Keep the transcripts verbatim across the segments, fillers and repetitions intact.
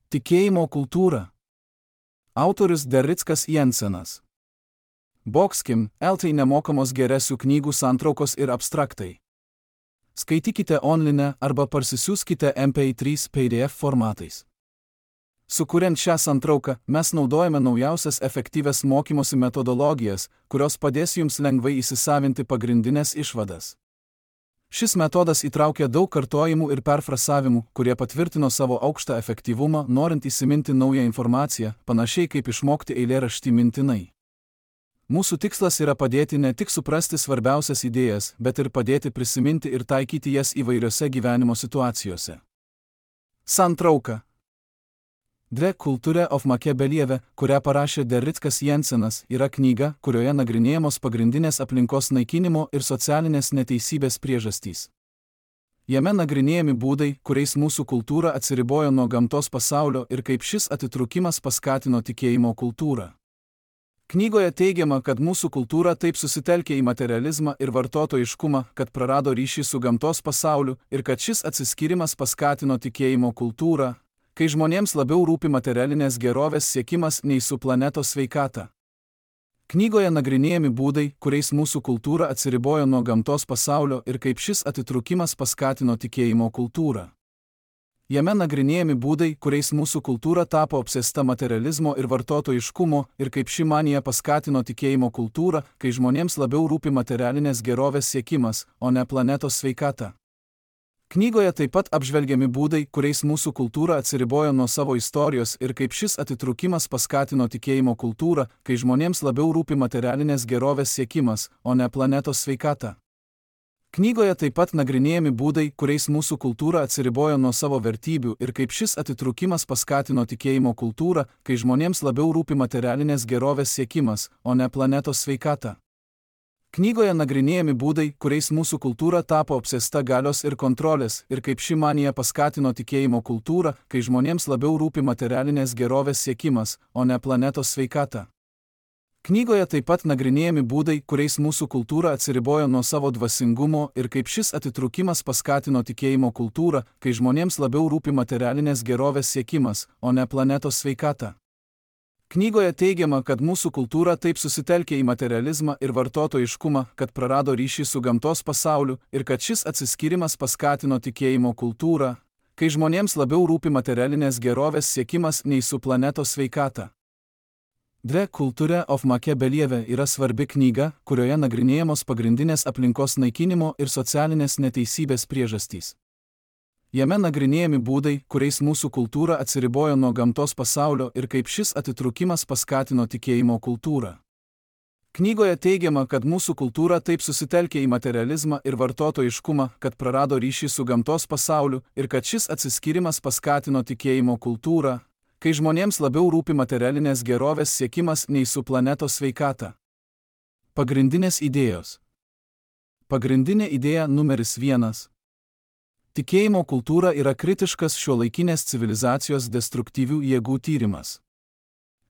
Tikėjimo kultūra. Autorius Derickas Jensenas. Boxkim, Eltai nemokamos geresių knygų santraukos ir abstraktai. Skaitykite online arba parsisiųskite M P trys P D F formatais. Sukuriant šią santrauką, mes naudojame naujausias efektyvias mokymosi metodologijas, kurios padės jums lengvai įsisavinti pagrindinės išvadas. Šis metodas įtraukia daug kartojimų ir perfrasavimų, kurie patvirtino savo aukštą efektyvumą, norint įsiminti naują informaciją, panašiai kaip išmokti eilėraštį mintinai. Mūsų tikslas yra padėti ne tik suprasti svarbiausias idėjas, bet ir padėti prisiminti ir taikyti jas įvairiose gyvenimo situacijose. Santrauka. Dre Culture of Machiavellieve, kurią parašė Derickas Jensenas, yra knyga, kurioje nagrinėjamos pagrindinės aplinkos naikinimo ir socialinės neteisybės priežastys. Jame nagrinėjami būdai, kuriais mūsų kultūra atsiribojo nuo gamtos pasaulio ir kaip šis atitrūkimas paskatino tikėjimo kultūrą. Knygoje teigiama, kad mūsų kultūra taip susitelkė į materializmą ir vartotojiškumą, kad prarado ryšį su gamtos pasauliu ir kad šis atsiskyrimas paskatino tikėjimo kultūrą, kai žmonėms labiau rūpi materialinės gerovės siekimas nei su planetos sveikata. Knygoje nagrinėjami būdai, kuriais mūsų kultūra atsiribojo nuo gamtos pasaulio ir kaip šis atitrūkimas paskatino tikėjimo kultūrą. Jame nagrinėjami būdai, kuriais mūsų kultūra tapo apsėsta materializmo ir vartotojiškumo ir kaip ši manija paskatino tikėjimo kultūrą, kai žmonėms labiau rūpi materialinės gerovės siekimas, o ne planetos sveikata. Knygoje taip pat apžvelgiami būdai, kuriais mūsų kultūra atsiribojo nuo savo istorijos ir kaip šis atitrūkimas paskatino tikėjimo kultūrą, kai žmonėms labiau rūpi materialinės gerovės siekimas, o ne planetos sveikata. Knygoje taip pat nagrinėjami būdai, kuriais mūsų kultūra atsiribojo nuo savo vertybių ir kaip šis atitrūkimas paskatino tikėjimo kultūrą, kai žmonėms labiau rūpi materialinės gerovės siekimas, o ne planetos sveikata. Knygoje nagrinėjami būdai, kuriais mūsų kultūra tapo apsėsta galios ir kontrolės ir kaip ši manija paskatino tikėjimo kultūrą, kai žmonėms labiau rūpi materialinės gerovės siekimas, o ne planetos sveikata. Knygoje taip pat nagrinėjami būdai, kuriais mūsų kultūra atsiribojo nuo savo dvasingumo ir kaip šis atitrūkimas paskatino tikėjimo kultūrą, kai žmonėms labiau rūpi materialinės gerovės siekimas, o ne planetos sveikata. Knygoje teigiama, kad mūsų kultūra taip susitelkė į materializmą ir vartotojiškumą, kad prarado ryšį su gamtos pasauliu ir kad šis atsiskyrimas paskatino tikėjimo kultūrą, kai žmonėms labiau rūpi materialinės gerovės siekimas nei su planetos sveikata. Dre Culture of Machiavellieve yra svarbi knyga, kurioje nagrinėjamos pagrindinės aplinkos naikinimo ir socialinės neteisybės priežastys. Jame nagrinėjami būdai, kuriais mūsų kultūra atsiribojo nuo gamtos pasaulio ir kaip šis atitrūkimas paskatino tikėjimo kultūrą. Knygoje teigiama, kad mūsų kultūra taip susitelkė į materializmą ir vartotojiškumą, kad prarado ryšį su gamtos pasauliu ir kad šis atsiskyrimas paskatino tikėjimo kultūrą, kai žmonėms labiau rūpi materialinės gerovės siekimas nei su planetos sveikata. Pagrindinės idėjos. Pagrindinė idėja numeris vienas. Tikėjimo kultūra yra kritiškas šiuolaikinės civilizacijos destruktyvių jėgų tyrimas.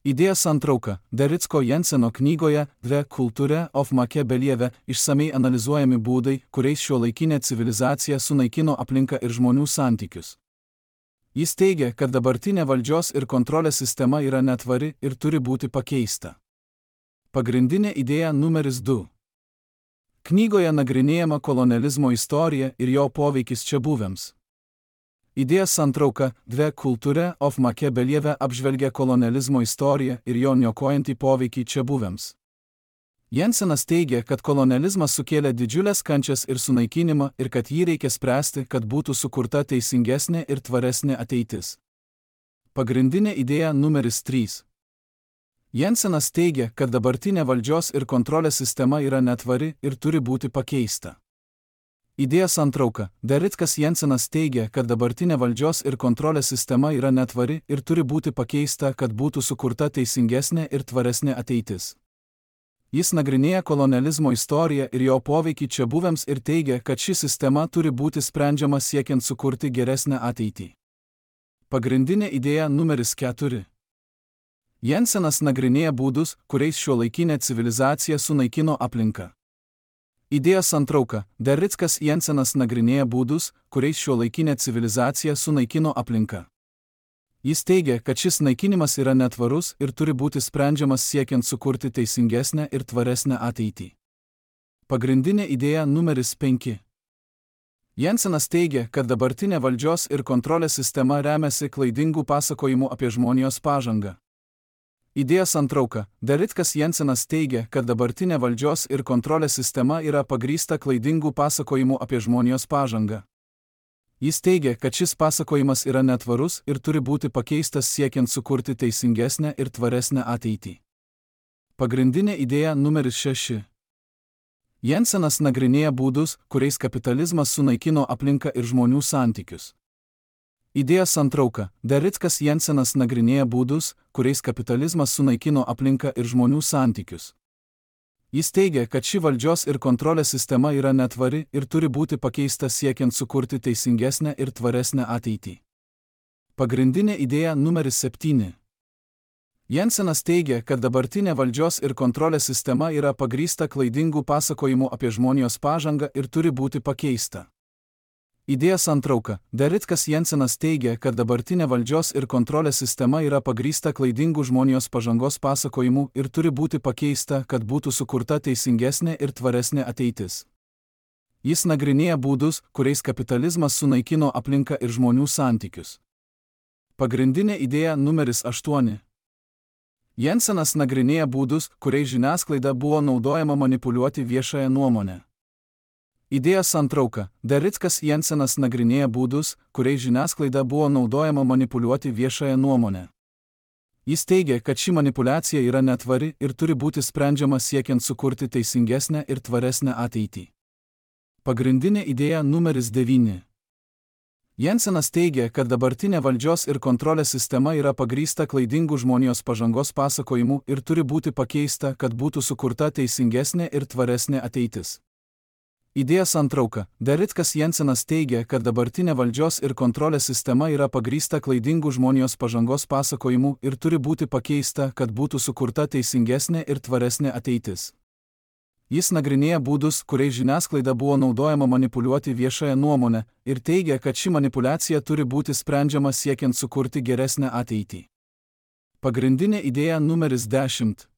Idėja santrauka. Dericko Jenseno knygoje Dre Culture of Machiavellieve išsamei analizuojami būdai, kuriais šiuolaikinė civilizacija sunaikino aplinką ir žmonių santykius. Jis teigia, kad dabartinė valdžios ir kontrolės sistema yra netvari ir turi būti pakeista. Pagrindinė idėja numeris du. Knygoje nagrinėjama kolonializmo istorija ir jo poveikis čiabuvėms. Idėja santrauka Dre Culture of Machiavellieve apžvelgia kolonializmo istoriją ir jo niokojantį poveikį čiabuvėms. Jensenas teigia, kad kolonializmas sukėlė didžiulės kančias ir sunaikinimą ir kad jį reikia spręsti, kad būtų sukurta teisingesnė ir tvaresnė ateitis. Pagrindinė idėja numeris trys. Jensenas teigia, kad dabartinė valdžios ir kontrolės sistema yra netvari ir turi būti pakeista. Idėja santrauka. Derickas Jensenas teigia, kad dabartinė valdžios ir kontrolės sistema yra netvari ir turi būti pakeista, kad būtų sukurta teisingesnė ir tvaresnė ateitis. Jis nagrinėja kolonializmo istoriją ir jo poveikį čiabuvėms ir teigia, kad ši sistema turi būti sprendžiama siekiant sukurti geresnę ateitį. Pagrindinė idėja numeris keturi. Jensenas nagrinėja būdus, kuriais šiuolaikinė civilizacija sunaikino aplinką. Idėja santrauka. Derickas Jensenas nagrinėja būdus, kuriais šiuolaikinė civilizacija sunaikino aplinką. Jis teigia, kad šis naikinimas yra netvarus ir turi būti sprendžiamas siekiant sukurti teisingesnę ir tvaresnę ateitį. Pagrindinė idėja numeris penki. Jensenas teigia, kad dabartinė valdžios ir kontrolės sistema remiasi klaidingų pasakojimų apie žmonijos pažangą. Idėja santrauka. Daritkas Jensenas teigia, kad dabartinė valdžios ir kontrolės sistema yra pagrįsta klaidingų pasakojimų apie žmonijos pažangą. Jis teigia, kad šis pasakojimas yra netvarus ir turi būti pakeistas siekiant sukurti teisingesnę ir tvaresnę ateitį. Pagrindinė idėja numeris šeši. Jensenas nagrinėja būdus, kuriais kapitalizmas sunaikino aplinką ir žmonių santykius. Idėja santrauka. Daritkas Jensenas nagrinėja būdus, kuriais kapitalizmas sunaikino aplinką ir žmonių santykius. Jis teigia, kad ši valdžios ir kontrolės sistema yra netvari ir turi būti pakeista siekiant sukurti teisingesnę ir tvaresnę ateitį. Pagrindinė idėja numeris septyni. Jensenas teigia, kad dabartinė valdžios ir kontrolės sistema yra pagrįsta klaidingų pasakojimų apie žmonijos pažangą ir turi būti pakeista. Idėja santrauka. Daritkas Jensenas teigia, kad dabartinė valdžios ir kontrolės sistema yra pagrįsta klaidingų žmonijos pažangos pasakojimų ir turi būti pakeista, kad būtų sukurta teisingesnė ir tvaresnė ateitis. Jis nagrinėja būdus, kuriais kapitalizmas sunaikino aplinką ir žmonių santykius. Pagrindinė idėja numeris aštuoni. Jensenas nagrinėja būdus, kuriais žiniasklaida buvo naudojama manipuliuoti viešąją nuomonę. Idėja santrauka. Daritkas Jensenas nagrinėja būdus, kuriais žiniasklaida buvo naudojama manipuliuoti viešąją nuomonę. Jis teigia, kad ši manipuliacija yra netvari ir turi būti sprendžiama siekiant sukurti teisingesnę ir tvaresnę ateitį. Pagrindinė idėja numeris devyni. Jensenas teigia, kad dabartinė valdžios ir kontrolės sistema yra pagrįsta klaidingų žmonijos pažangos pasakojimų ir turi būti pakeista, kad būtų sukurta teisingesnė ir tvaresnė ateitis. Idėja santrauka. Daritkas Jensenas teigia, kad dabartinė valdžios ir kontrolės sistema yra pagrįsta klaidingų žmonijos pažangos pasakojimų ir turi būti pakeista, kad būtų sukurta teisingesnė ir tvaresnė ateitis. Jis nagrinėja būdus, kuriais žiniasklaida buvo naudojama manipuliuoti viešąją nuomonę ir teigia, kad ši manipuliacija turi būti sprendžiama siekiant sukurti geresnę ateitį. Pagrindinė idėja numeris dešimt.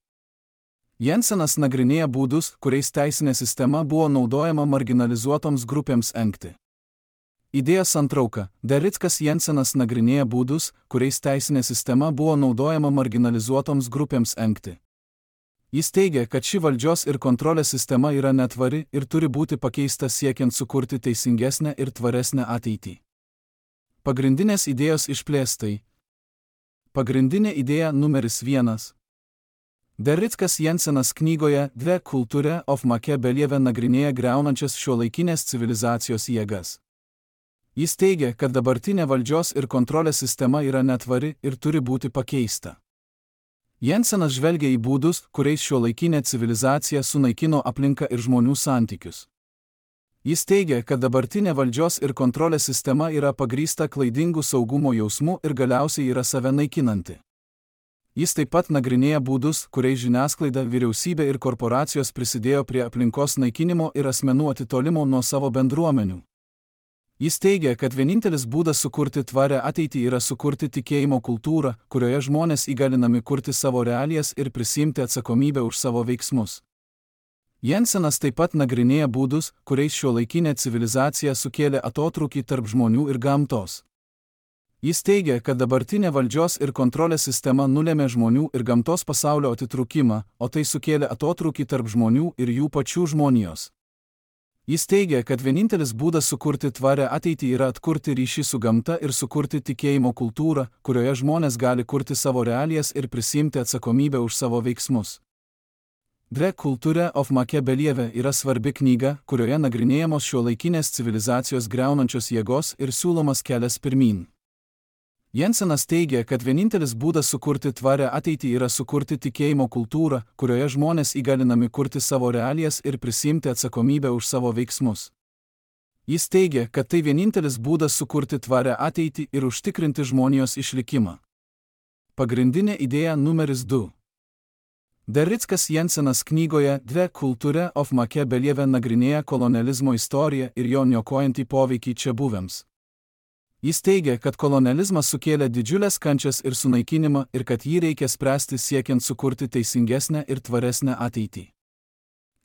Jensenas nagrinėja būdus, kuriais teisinė sistema buvo naudojama marginalizuotoms grupėms engti. Idėja santrauka. Daritkas Jensenas nagrinėja būdus, kuriais teisinė sistema buvo naudojama marginalizuotoms grupėms engti. Jis teigia, kad ši valdžios ir kontrolės sistema yra netvari ir turi būti pakeista siekiant sukurti teisingesnę ir tvaresnę ateitį. Pagrindinės idėjos išplėstai. Pagrindinė idėja numeris vienas. Daritkas Jensenas knygoje The Culture of Machiavellieve nagrinėja griaunančias šiuolaikinės civilizacijos jėgas. Jis teigia, kad dabartinė valdžios ir kontrolės sistema yra netvari ir turi būti pakeista. Jensenas žvelgia į būdus, kuriais šiuolaikinė civilizacija sunaikino aplinką ir žmonių santykius. Jis teigia, kad dabartinė valdžios ir kontrolės sistema yra pagrįsta klaidingų saugumo jausmų ir galiausiai yra save naikinanti. Jis taip pat nagrinėja būdus, kuriais žiniasklaida, vyriausybė ir korporacijos prisidėjo prie aplinkos naikinimo ir asmenų atitolimo nuo savo bendruomenių. Jis teigia, kad vienintelis būdas sukurti tvarę ateitį yra sukurti tikėjimo kultūrą, kurioje žmonės įgalinami kurti savo realijas ir prisiimti atsakomybę už savo veiksmus. Jensenas taip pat nagrinėja būdus, kuriais šiuolaikinė civilizacija sukėlė atotrūkį tarp žmonių ir gamtos. Jis teigia, kad dabartinė valdžios ir kontrolės sistema nulėmė žmonių ir gamtos pasaulio atitrūkimą, o tai sukėlė atotrūkį tarp žmonių ir jų pačių žmonijos. Jis teigia, kad vienintelis būdas sukurti tvarę ateitį yra atkurti ryšį su gamta ir sukurti tikėjimo kultūrą, kurioje žmonės gali kurti savo realijas ir prisiimti atsakomybę už savo veiksmus. The Culture of Machiavellieve yra svarbi knyga, kurioje nagrinėjamos šiuolaikinės civilizacijos griaunančios jėgos ir siūlomas kelias pirmyn. Jensenas teigia, kad vienintelis būdas sukurti tvarę ateitį yra sukurti tikėjimo kultūrą, kurioje žmonės įgalinami kurti savo realijas ir prisiimti atsakomybę už savo veiksmus. Jis teigia, kad tai vienintelis būdas sukurti tvarę ateitį ir užtikrinti žmonijos išlikimą. Pagrindinė idėja numeris du. Daritkas Jensenas knygoje The Culture of Machiavellieve nagrinėja kolonializmo istoriją ir jo niokojantį poveikį čia buvėms. Jis teigia, kad kolonializmas sukėlė didžiulės kančias ir sunaikinimą ir kad jį reikia spręsti siekiant sukurti teisingesnę ir tvaresnę ateitį.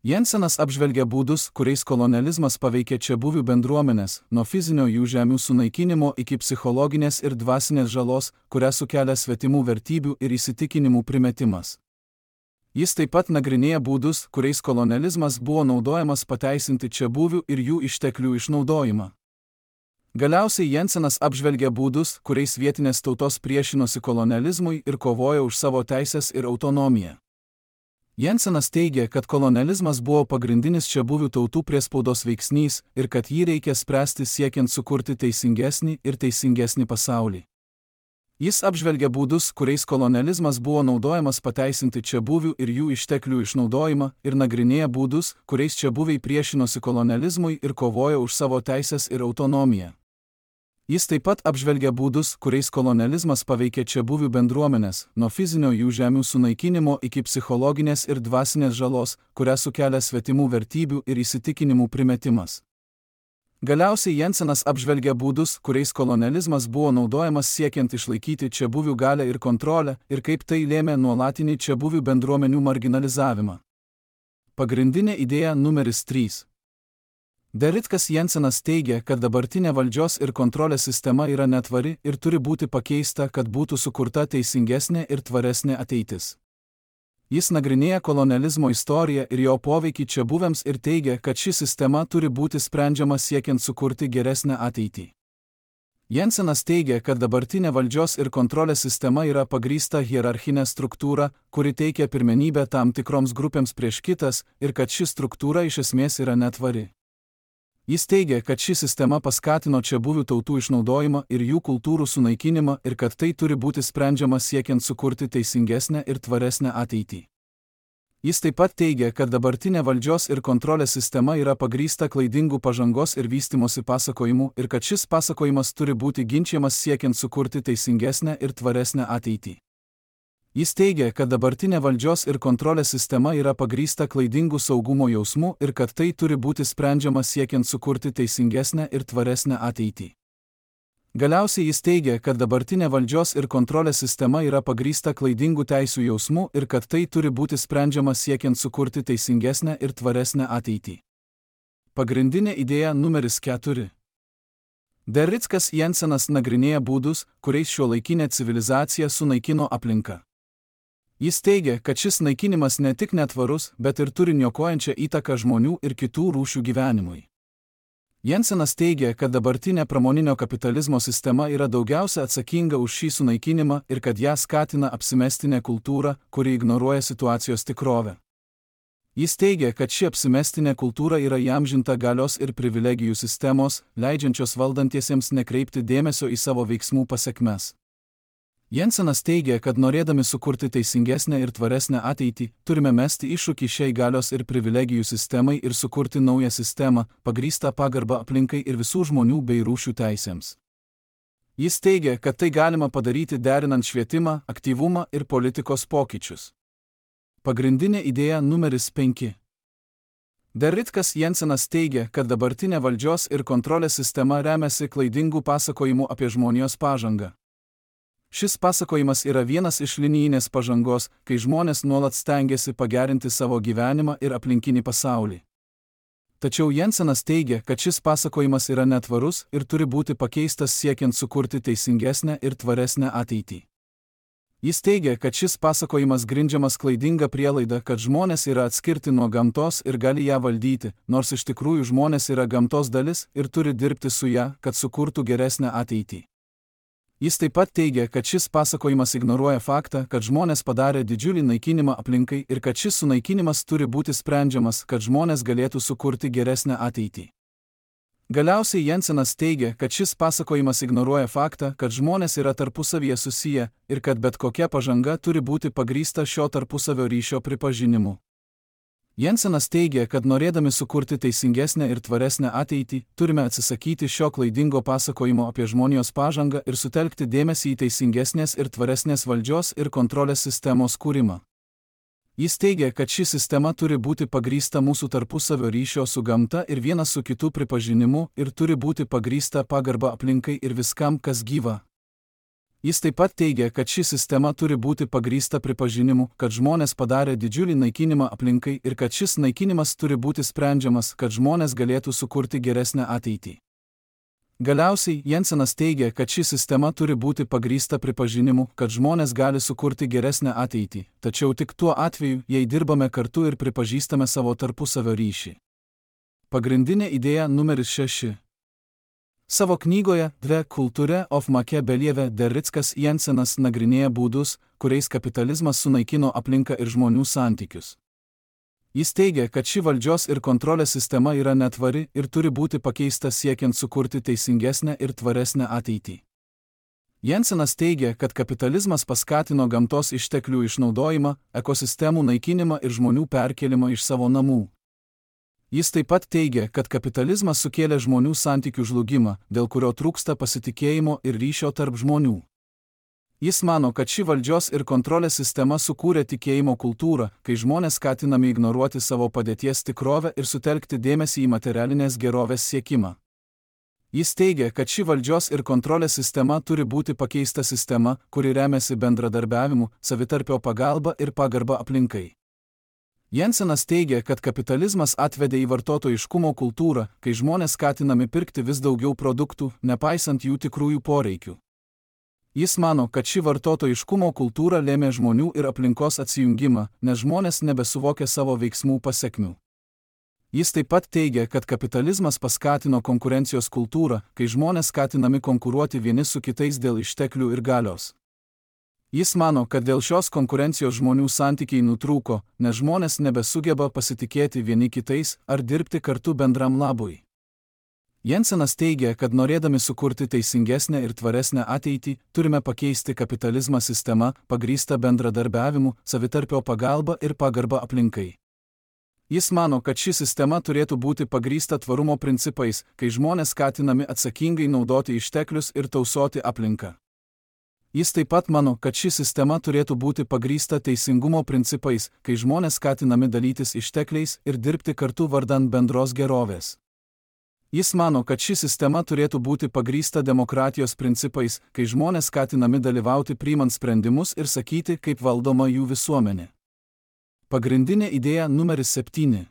Jensenas apžvelgia būdus, kuriais kolonializmas paveikė čiabuvių bendruomenės, nuo fizinio jų žemių sunaikinimo iki psichologinės ir dvasinės žalos, kurią sukelia svetimų vertybių ir įsitikinimų primetimas. Jis taip pat nagrinėja būdus, kuriais kolonializmas buvo naudojamas pateisinti čiabuvių ir jų išteklių išnaudojimą. Galiausiai Jensenas apžvelgia būdus, kuriais vietinės tautos priešinosi kolonializmui ir kovojo už savo teisės ir autonomiją. Jensenas teigia, kad kolonializmas buvo pagrindinis čiabuvių tautų priespaudos veiksnys ir kad jį reikia spręsti siekiant sukurti teisingesnį ir teisingesnį pasaulį. Jis apžvelgia būdus, kuriais kolonializmas buvo naudojamas pateisinti čiabuvių ir jų išteklių išnaudojimą ir nagrinėja būdus, kuriais čiabuviai priešinosi kolonializmui ir kovojo už savo teisės ir autonomiją. Jis taip pat apžvelgia būdus, kuriais kolonializmas paveikė čiabuvių bendruomenės, nuo fizinio jų žemių sunaikinimo iki psichologinės ir dvasinės žalos, kurią sukelia svetimų vertybių ir įsitikinimų primetimas. Galiausiai Jensenas apžvelgia būdus, kuriais kolonializmas buvo naudojamas siekiant išlaikyti čiabuvių galią ir kontrolę ir kaip tai lėmė nuolatinį čiabuvių bendruomenių marginalizavimą. Pagrindinė idėja numeris trys. Derridas Jensenas teigia, kad dabartinė valdžios ir kontrolės sistema yra netvari ir turi būti pakeista, kad būtų sukurta teisingesnė ir tvaresnė ateitis. Jis nagrinėja kolonializmo istoriją ir jo poveikį čiabuviams ir teigia, kad ši sistema turi būti sprendžiama siekiant sukurti geresnę ateitį. Jensenas teigia, kad dabartinė valdžios ir kontrolės sistema yra pagrįsta hierarchinė struktūra, kuri teikia pirmenybę tam tikroms grupėms prieš kitas ir kad ši struktūra iš esmės yra netvari. Jis teigia, kad ši sistema paskatino čiabuvių tautų išnaudojimą ir jų kultūrų sunaikinimą ir kad tai turi būti sprendžiama siekiant sukurti teisingesnę ir tvaresnę ateitį. Jis taip pat teigia, kad dabartinė valdžios ir kontrolės sistema yra pagrįsta klaidingų pažangos ir vystimosi pasakojimų ir kad šis pasakojimas turi būti ginčiamas siekiant sukurti teisingesnę ir tvaresnę ateitį. Jis teigia, kad dabartinė valdžios ir kontrolės sistema yra pagrįsta klaidingų saugumo jausmų ir kad tai turi būti sprendžiama siekiant sukurti teisingesnę ir tvaresnę ateitį. Galiausiai jis teigia, kad dabartinė valdžios ir kontrolės sistema yra pagrįsta klaidingų teisių jausmų ir kad tai turi būti sprendžiama siekiant sukurti teisingesnę ir tvaresnę ateitį. Pagrindinė idėja numeris keturi. Derridas Jensenas nagrinėja būdus, kuriais šiuolaikinė civilizacija sunaikino aplinką. Jis teigia, kad šis naikinimas ne tik netvarus, bet ir turi niokojančią įtaką žmonių ir kitų rūšių gyvenimui. Jensenas teigia, kad dabartinė pramoninio kapitalizmo sistema yra daugiausia atsakinga už šį sunaikinimą ir kad ją skatina apsimestinė kultūra, kuri ignoruoja situacijos tikrovę. Jis teigia, kad ši apsimestinė kultūra yra įamžinta galios ir privilegijų sistemos, leidžiančios valdantiesiems nekreipti dėmesio į savo veiksmų pasekmes. Jensenas teigia, kad norėdami sukurti teisingesnę ir tvaresnę ateitį, turime mesti iššūkį šiai galios ir privilegijų sistemai ir sukurti naują sistemą, pagrįstą pagarbą aplinkai ir visų žmonių bei rūšių teisėms. Jis teigia, kad tai galima padaryti derinant švietimą, aktyvumą ir politikos pokyčius. Pagrindinė idėja numeris penki. Derridas Jensenas teigia, kad dabartinė valdžios ir kontrolės sistema remiasi klaidingų pasakojimų apie žmonijos pažangą. Šis pasakojimas yra vienas iš linijinės pažangos, kai žmonės nuolat stengiasi pagerinti savo gyvenimą ir aplinkinį pasaulį. Tačiau Jensenas teigia, kad šis pasakojimas yra netvarus ir turi būti pakeistas siekiant sukurti teisingesnę ir tvaresnę ateitį. Jis teigia, kad šis pasakojimas grindžiamas klaidinga prielaida, kad žmonės yra atskirti nuo gamtos ir gali ją valdyti, nors iš tikrųjų žmonės yra gamtos dalis ir turi dirbti su ją, kad sukurtų geresnę ateitį. Jis taip pat teigia, kad šis pasakojimas ignoruoja faktą, kad žmonės padarė didžiulį naikinimą aplinkai ir kad šis sunaikinimas turi būti sprendžiamas, kad žmonės galėtų sukurti geresnę ateitį. Galiausiai Jensenas teigia, kad šis pasakojimas ignoruoja faktą, kad žmonės yra tarpusavyje susiję ir kad bet kokia pažanga turi būti pagrįsta šio tarpusavio ryšio pripažinimu. Jensenas teigia, kad norėdami sukurti teisingesnę ir tvaresnę ateitį, turime atsisakyti šio klaidingo pasakojimo apie žmonijos pažangą ir sutelkti dėmesį į teisingesnės ir tvaresnės valdžios ir kontrolės sistemos kūrimą. Jis teigia, kad ši sistema turi būti pagrįsta mūsų tarpusavio ryšio su gamta ir vienas su kitu pripažinimu ir turi būti pagrįsta pagarba aplinkai ir viskam, kas gyva. Jis taip pat teigia, kad ši sistema turi būti pagrįsta pripažinimu, kad žmonės padarė didžiulį naikinimą aplinkai ir kad šis naikinimas turi būti sprendžiamas, kad žmonės galėtų sukurti geresnę ateitį. Galiausiai Jensenas teigia, kad ši sistema turi būti pagrįsta pripažinimu, kad žmonės gali sukurti geresnę ateitį, tačiau tik tuo atveju, jei dirbame kartu ir pripažįstame savo tarpusavio ryšį. Pagrindinė idėja numeris šeši. Savo knygoje The Culture of Machiavellieve Derrickas Jensenas nagrinėja būdus, kuriais kapitalizmas sunaikino aplinką ir žmonių santykius. Jis teigia, kad ši valdžios ir kontrolės sistema yra netvari ir turi būti pakeista siekiant sukurti teisingesnę ir tvaresnę ateitį. Jensenas teigia, kad kapitalizmas paskatino gamtos išteklių išnaudojimą, ekosistemų naikinimą ir žmonių perkelimą iš savo namų. Jis taip pat teigia, kad kapitalizmas sukėlė žmonių santykių žlugimą, dėl kurio trūksta pasitikėjimo ir ryšio tarp žmonių. Jis mano, kad ši valdžios ir kontrolės sistema sukūrė tikėjimo kultūrą, kai žmonės skatinami ignoruoti savo padėties tikrovę ir sutelkti dėmesį į materialinės gerovės siekimą. Jis teigia, kad ši valdžios ir kontrolės sistema turi būti pakeista sistema, kuri remiasi bendradarbiavimu, savitarpio pagalba ir pagarba aplinkai. Jensenas teigia, kad kapitalizmas atvedė į vartotojiškumo kultūrą, kai žmonės skatinami pirkti vis daugiau produktų, nepaisant jų tikrųjų poreikių. Jis mano, kad ši vartotojiškumo kultūra lėmė žmonių ir aplinkos atsijungimą, nes žmonės nebesuvokia savo veiksmų pasekmių. Jis taip pat teigia, kad kapitalizmas paskatino konkurencijos kultūrą, kai žmonės skatinami konkuruoti vieni su kitais dėl išteklių ir galios. Jis mano, kad dėl šios konkurencijos žmonių santykiai nutrūko, nes žmonės nebesugeba pasitikėti vieni kitais ar dirbti kartu bendram labui. Jensenas teigia, kad norėdami sukurti teisingesnę ir tvaresnę ateitį, turime pakeisti kapitalizmą sistemą, pagrįstą bendradarbiavimu, savitarpio pagalba ir pagarba aplinkai. Jis mano, kad ši sistema turėtų būti pagrįsta tvarumo principais, kai žmonės skatinami atsakingai naudoti išteklius ir tausoti aplinką. Jis taip pat mano, kad ši sistema turėtų būti pagrįsta teisingumo principais, kai žmonės skatinami dalytis ištekliais ir dirbti kartu vardan bendros gerovės. Jis mano, kad ši sistema turėtų būti pagrįsta demokratijos principais, kai žmonės skatinami dalyvauti priimant sprendimus ir sakyti, kaip valdoma jų visuomenė. Pagrindinė idėja numeris septyni.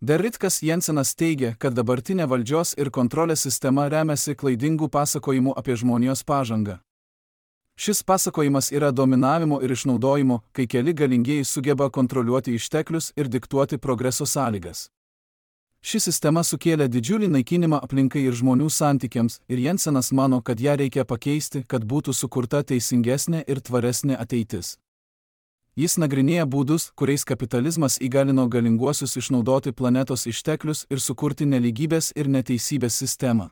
Derrickas Jensenas teigia, kad dabartinė valdžios ir kontrolės sistema remiasi klaidingų pasakojimų apie žmonijos pažangą. Šis pasakojimas yra dominavimo ir išnaudojimo, kai keli galingieji sugeba kontroliuoti išteklius ir diktuoti progreso sąlygas. Ši sistema sukėlė didžiulį naikinimą aplinkai ir žmonių santykiams, ir Jensenas mano, kad ją reikia pakeisti, kad būtų sukurta teisingesnė ir tvaresnė ateitis. Jis nagrinėja būdus, kuriais kapitalizmas įgalino galinguosius išnaudoti planetos išteklius ir sukurti nelygybės ir neteisybės sistemą.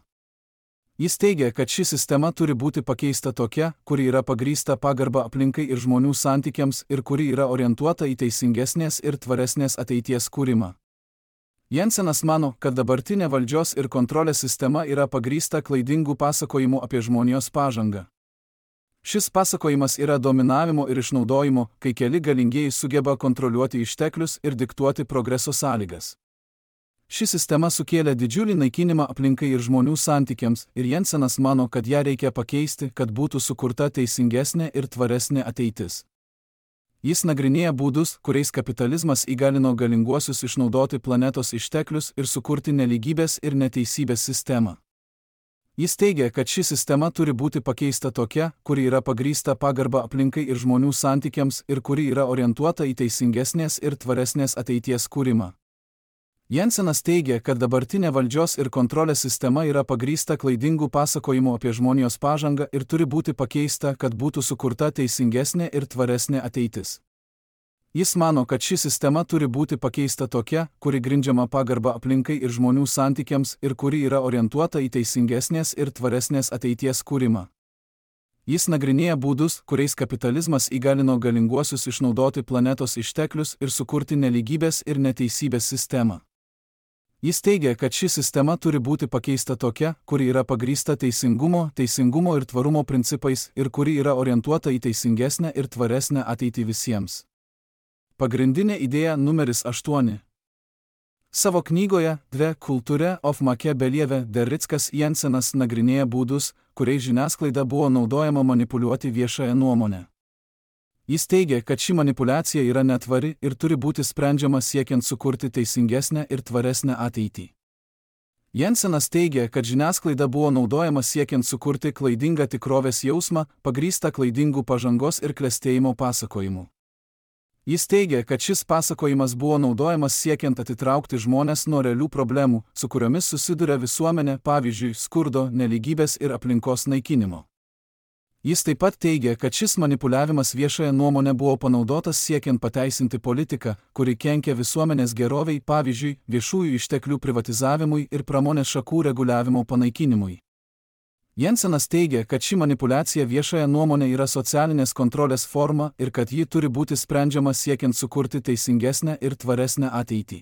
Jis teigia, kad ši sistema turi būti pakeista tokia, kuri yra pagrįsta pagarba aplinkai ir žmonių santykiams ir kuri yra orientuota į teisingesnės ir tvaresnės ateities kūrimą. Jensenas mano, kad dabartinė valdžios ir kontrolės sistema yra pagrįsta klaidingų pasakojimų apie žmonijos pažangą. Šis pasakojimas yra dominavimo ir išnaudojimo, kai keli galingieji sugeba kontroliuoti išteklius ir diktuoti progreso sąlygas. Ši sistema sukėlė didžiulį naikinimą aplinkai ir žmonių santykiams, ir Jensenas mano, kad ją reikia pakeisti, kad būtų sukurta teisingesnė ir tvaresnė ateitis. Jis nagrinėja būdus, kuriais kapitalizmas įgalino galinguosius išnaudoti planetos išteklius ir sukurti nelygybės ir neteisybės sistemą. Jis teigia, kad ši sistema turi būti pakeista tokia, kuri yra pagrįsta pagarba aplinkai ir žmonių santykiams ir kuri yra orientuota į teisingesnės ir tvaresnės ateities kūrimą. Jensenas teigia, kad dabartinė valdžios ir kontrolės sistema yra pagrįsta klaidingų pasakojimų apie žmonijos pažangą ir turi būti pakeista, kad būtų sukurta teisingesnė ir tvaresnė ateitis. Jis mano, kad ši sistema turi būti pakeista tokia, kuri grindžiama pagarba aplinkai ir žmonių santykiams ir kuri yra orientuota į teisingesnės ir tvaresnės ateities kūrimą. Jis nagrinėja būdus, kuriais kapitalizmas įgalino galinguosius išnaudoti planetos išteklius ir sukurti nelygybės ir neteisybės sistemą. Jis teigia, kad ši sistema turi būti pakeista tokia, kuri yra pagrįsta teisingumo, teisingumo ir tvarumo principais ir kuri yra orientuota į teisingesnę ir tvaresnę ateitį visiems. Pagrindinė idėja numeris aštuoni. Savo knygoje Dve kultūre of Makebelieve Derrickas Jensenas nagrinėja būdus, kuriais žiniasklaida buvo naudojama manipuliuoti viešąją nuomonę. Jis teigia, kad ši manipuliacija yra netvari ir turi būti sprendžiama siekiant sukurti teisingesnę ir tvaresnę ateitį. Jensenas teigia, kad žiniasklaida buvo naudojama siekiant sukurti klaidingą tikrovės jausmą, pagrįstą klaidingų pažangos ir klestėjimo pasakojimu. Jis teigia, kad šis pasakojimas buvo naudojamas siekiant atitraukti žmones nuo realių problemų, su kuriomis susiduria visuomenė, pavyzdžiui, skurdo, nelygybės ir aplinkos naikinimo. Jis taip pat teigia, kad šis manipuliavimas viešąją nuomonę buvo panaudotas siekiant pateisinti politiką, kuri kenkia visuomenės geroviai, pavyzdžiui, viešųjų išteklių privatizavimui ir pramonės šakų reguliavimo panaikinimui. Jensenas teigia, kad ši manipuliacija viešąją nuomonę yra socialinės kontrolės forma ir kad ji turi būti sprendžiama siekiant sukurti teisingesnę ir tvaresnę ateitį.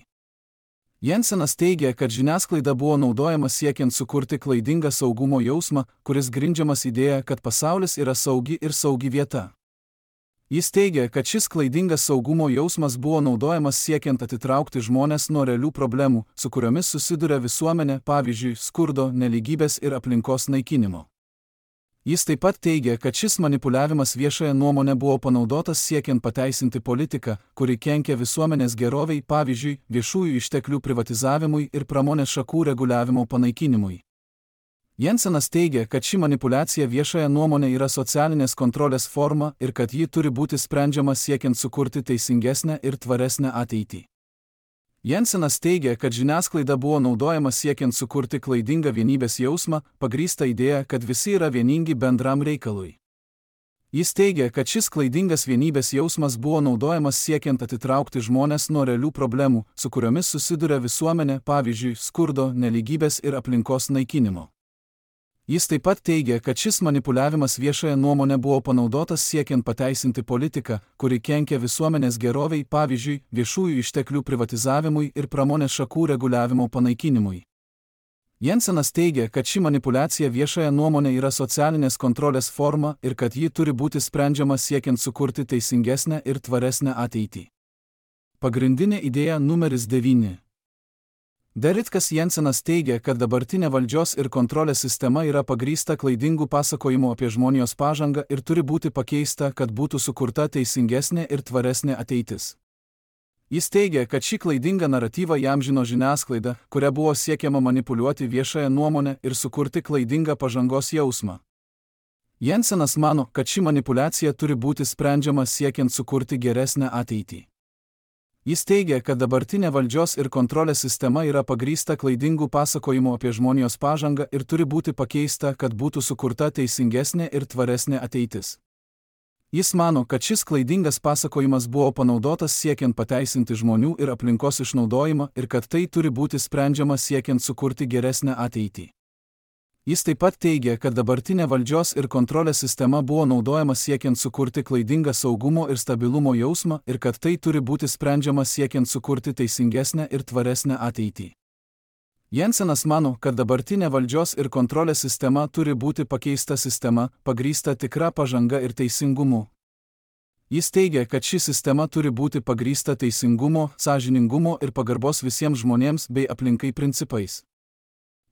Jensenas teigia, kad žiniasklaida buvo naudojama siekiant sukurti klaidingą saugumo jausmą, kuris grindžiamas idėja, kad pasaulis yra saugi ir saugi vieta. Jis teigia, kad šis klaidingas saugumo jausmas buvo naudojamas siekiant atitraukti žmones nuo realių problemų, su kuriomis susiduria visuomenė, pavyzdžiui, skurdo, nelygybės ir aplinkos naikinimo. Jis taip pat teigia, kad šis manipuliavimas viešąją nuomonę buvo panaudotas siekiant pateisinti politiką, kuri kenkia visuomenės geroviai, pavyzdžiui, viešųjų išteklių privatizavimui ir pramonės šakų reguliavimo panaikinimui. Jensenas teigia, kad ši manipuliacija viešąją nuomonę yra socialinės kontrolės forma ir kad ji turi būti sprendžiama siekiant sukurti teisingesnę ir tvaresnę ateitį. Jensenas teigia, kad žiniasklaida buvo naudojama siekiant sukurti klaidingą vienybės jausmą, pagrįstą idėją, kad visi yra vieningi bendram reikalui. Jis teigia, kad šis klaidingas vienybės jausmas buvo naudojamas siekiant atitraukti žmones nuo realių problemų, su kuriomis susiduria visuomenė, pavyzdžiui, skurdo, nelygybės ir aplinkos naikinimo. Jis taip pat teigia, kad šis manipuliavimas viešąją nuomonę buvo panaudotas siekiant pateisinti politiką, kuri kenkia visuomenės geroviai, pavyzdžiui, viešųjų išteklių privatizavimui ir pramonės šakų reguliavimo panaikinimui. Jensenas teigia, kad ši manipuliacija viešąją nuomonę yra socialinės kontrolės forma ir kad ji turi būti sprendžiama siekiant sukurti teisingesnę ir tvaresnę ateitį. Pagrindinė idėja numeris devyni. Derrickas Jensenas teigia, kad dabartinė valdžios ir kontrolės sistema yra pagrįsta klaidingų pasakojimų apie žmonijos pažangą ir turi būti pakeista, kad būtų sukurta teisingesnė ir tvaresnė ateitis. Jis teigia, kad šį klaidingą naratyvą įamžino žiniasklaida, kuria buvo siekiama manipuliuoti viešąją nuomonę ir sukurti klaidingą pažangos jausmą. Jensenas mano, kad ši manipuliacija turi būti sprendžiama siekiant sukurti geresnę ateitį. Jis teigia, kad dabartinė valdžios ir kontrolės sistema yra pagrįsta klaidingų pasakojimų apie žmonijos pažangą ir turi būti pakeista, kad būtų sukurta teisingesnė ir tvaresnė ateitis. Jis mano, kad šis klaidingas pasakojimas buvo panaudotas siekiant pateisinti žmonių ir aplinkos išnaudojimą ir kad tai turi būti sprendžiama siekiant sukurti geresnę ateitį. Jis taip pat teigia, kad dabartinė valdžios ir kontrolės sistema buvo naudojama siekiant sukurti klaidingą saugumo ir stabilumo jausmą ir kad tai turi būti sprendžiama siekiant sukurti teisingesnę ir tvaresnę ateitį. Jensenas mano, kad dabartinė valdžios ir kontrolės sistema turi būti pakeista sistema, pagrįsta tikra pažanga ir teisingumu. Jis teigia, kad ši sistema turi būti pagrįsta teisingumo, sąžiningumo ir pagarbos visiems žmonėms bei aplinkai principais.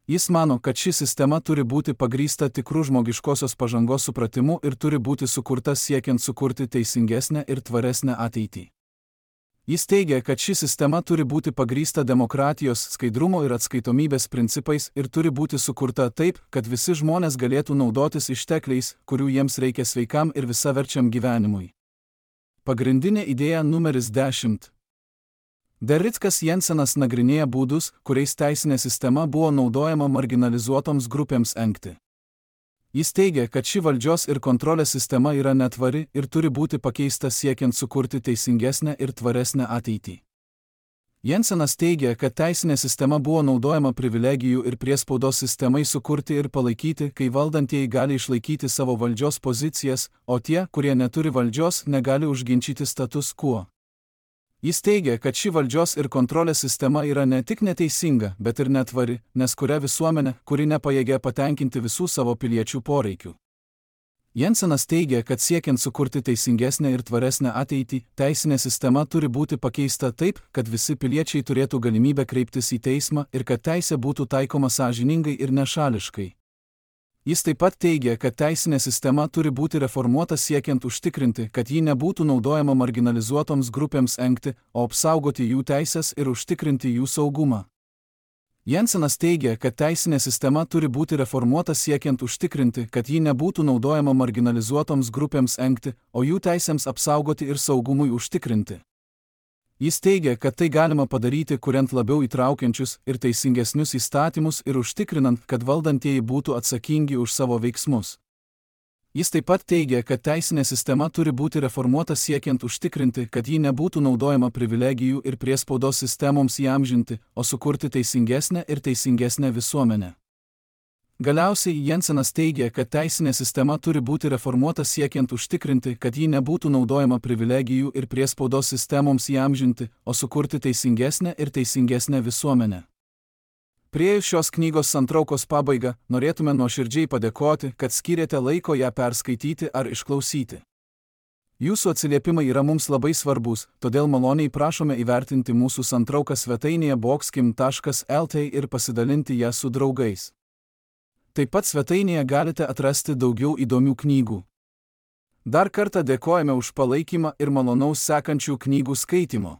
Jis mano, kad ši sistema turi būti pagrįsta tikrų žmogiškosios pažangos supratimu ir turi būti sukurta siekiant sukurti teisingesnę ir tvaresnę ateitį. Jis teigia, kad ši sistema turi būti pagrįsta demokratijos, skaidrumo ir atskaitomybės principais ir turi būti sukurta taip, kad visi žmonės galėtų naudotis ištekliais, kurių jiems reikia sveikam ir visaverčiam gyvenimui. Pagrindinė idėja numeris dešimt. Derrickas Jensenas nagrinėja būdus, kuriais teisinė sistema buvo naudojama marginalizuotoms grupėms engti. Jis teigia, kad ši valdžios ir kontrolės sistema yra netvari ir turi būti pakeista siekiant sukurti teisingesnę ir tvaresnę ateitį. Jensenas teigia, kad teisinė sistema buvo naudojama privilegijų ir priespaudos sistemai sukurti ir palaikyti, kai valdantieji gali išlaikyti savo valdžios pozicijas, o tie, kurie neturi valdžios, negali užginčyti status quo. Jis teigia, kad ši valdžios ir kontrolės sistema yra ne tik neteisinga, bet ir netvari, nes kuria visuomenė, kuri nepajėgia patenkinti visų savo piliečių poreikių. Jensenas teigia, kad siekiant sukurti teisingesnę ir tvaresnę ateitį, teisinė sistema turi būti pakeista taip, kad visi piliečiai turėtų galimybę kreiptis į teismą ir kad teisė būtų taikoma sąžiningai ir nešališkai. Jis taip pat teigia, kad teisinė sistema turi būti reformuota siekiant užtikrinti, kad ji nebūtų naudojama marginalizuotoms grupėms engti, o apsaugoti jų teisės ir užtikrinti jų saugumą. Jensenas teigia, kad teisinė sistema turi būti reformuota siekiant užtikrinti, kad ji nebūtų naudojama marginalizuotoms grupėms engti, o jų teisėms apsaugoti ir saugumui užtikrinti. Jis teigia, kad tai galima padaryti, kuriant labiau įtraukiančius ir teisingesnius įstatymus ir užtikrinant, kad valdantieji būtų atsakingi už savo veiksmus. Jis taip pat teigia, kad teisinė sistema turi būti reformuota siekiant užtikrinti, kad ji nebūtų naudojama privilegijų ir priespaudos sistemoms įamžinti, o sukurti teisingesnę ir teisingesnę visuomenę. Galiausiai Jensenas teigia, kad teisinė sistema turi būti reformuota siekiant užtikrinti, kad ji nebūtų naudojama privilegijų ir priespaudos sistemoms įamžinti, o sukurti teisingesnę ir teisingesnę visuomenę. Priėjus šios knygos santraukos pabaigą, norėtume nuoširdžiai padėkoti, kad skyrėte laiko ją perskaityti ar išklausyti. Jūsų atsiliepimai yra mums labai svarbus, todėl maloniai prašome įvertinti mūsų santrauką svetainėje boxkim taškas el t ir pasidalinti ją su draugais. Taip pat svetainėje galite atrasti daugiau įdomių knygų. Dar kartą dėkojame už palaikymą ir malonaus sekančių knygų skaitymo.